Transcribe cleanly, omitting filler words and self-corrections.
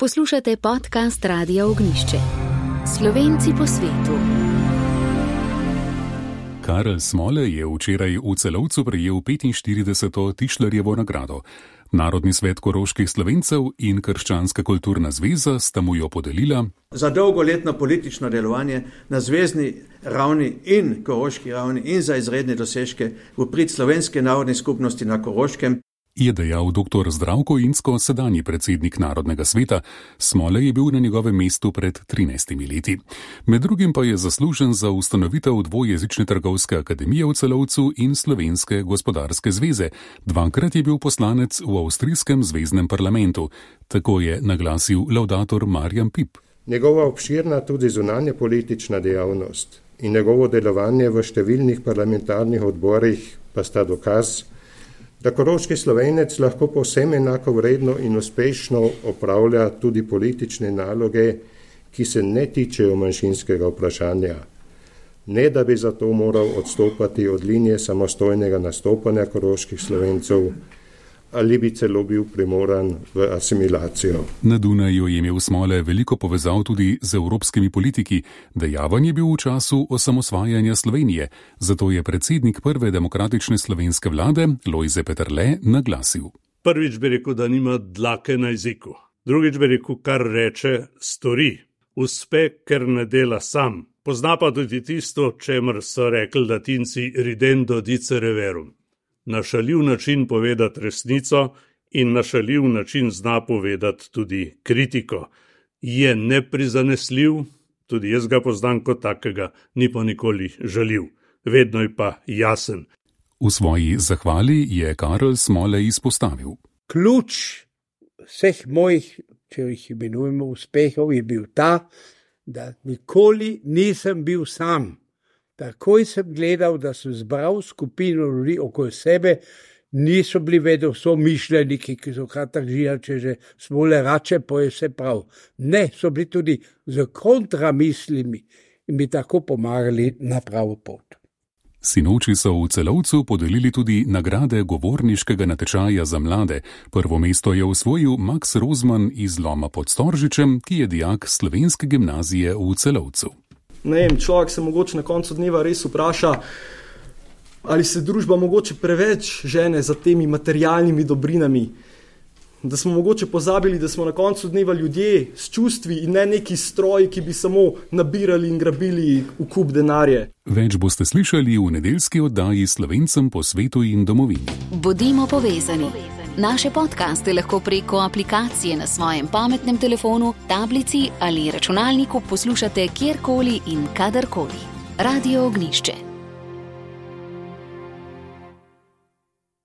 Poslušate podcast Radia Ognjišče. Slovenci po svetu. Karel Smole je včeraj v Celovcu prejel 45. Tišlerjevo nagrado. Narodni svet koroških Slovencev in Krščanska kulturna zveza sta mu jo podelila za dolgoletno politično delovanje na zvezni ravni in koroški ravni in za izredne dosežke v prid slovenske narodne skupnosti na Koroškem. Je dejal dr. Zdravko Insko, sedanji predsednik Narodnega sveta. Smole je bil na njegovem mestu pred 13 leti. Med drugim pa je zaslužen za ustanovitev dvojezične trgovske akademije v Celovcu in Slovenske gospodarske zveze. Dvakrat je bil poslanec v avstrijskem zveznem parlamentu. Tako je naglasil laudator Marjan Pip. Njegova obširna tudi zunanje politična dejavnost in njegovo delovanje v številnih parlamentarnih odborih pa sta dokaz, da koroški Slovenec lahko povsem enako vredno in uspešno opravlja tudi politične naloge, ki se ne tičejo manjšinskega vprašanja. Ne da bi zato moral odstopati od linije samostojnega nastopanja koroških Slovencev ali bi celo bil primoran v asimilacijo. Na Dunaju je imel Smole veliko povezav tudi z evropskimi politiki. Dejaven je bil v času osamosvajanja Slovenije, zato je predsednik prve demokratične slovenske vlade Lojze Peterle naglasil. Prvič bi rekel, da nima dlake na jeziku. Drugič bi rekel, kar reče, stori. Uspe, ker ne dela sam. Pozna pa tudi tisto, čemer so rekli Latinci ridendo dicere verum. Na šaljiv način povedati resnico in na šaljiv način zna povedati tudi kritiko. Je neprizanesljiv, tudi jaz ga poznam kot takega, ni pa nikoli žaljiv. Vedno je pa jasen. V svoji zahvali je Karel Smole izpostavil. Ključ vseh mojih, če jih imenujemo uspehov, je bil ta, da nikoli nisem bil sam. Takoj sem gledal, da sem zbral skupino ljudi okoli sebe, niso bili vedno so mišljeniki, ki so kratak živali, če že Smole rače, pa je vse prav. Ne, so bili tudi z kontramislimi in bi tako pomagali na pravo pot. Sinoči so v Celovcu podelili tudi nagrade govorniškega natečaja za mlade. Prvo mesto je osvojil Max Rozman iz Loma pod Storžičem, ki je dijak slovenske gimnazije v Celovcu. Ne vem, človek se mogoče na koncu dneva res vpraša, ali se družba mogoče preveč žene za temi materialnimi dobrinami, da smo mogoče pozabili, da smo na koncu dneva ljudje s čustvi in ne neki stroji, ki bi samo nabirali in grabili v kup denarje. Več boste slišali v nedeljski oddaji Slovencem po svetu in domovini. Bodimo povezani. Naše podcaste lahko preko aplikacije na svojem pametnem telefonu, tablici ali računalniku poslušate kjerkoli in kadarkoli. Radio Ognjišče.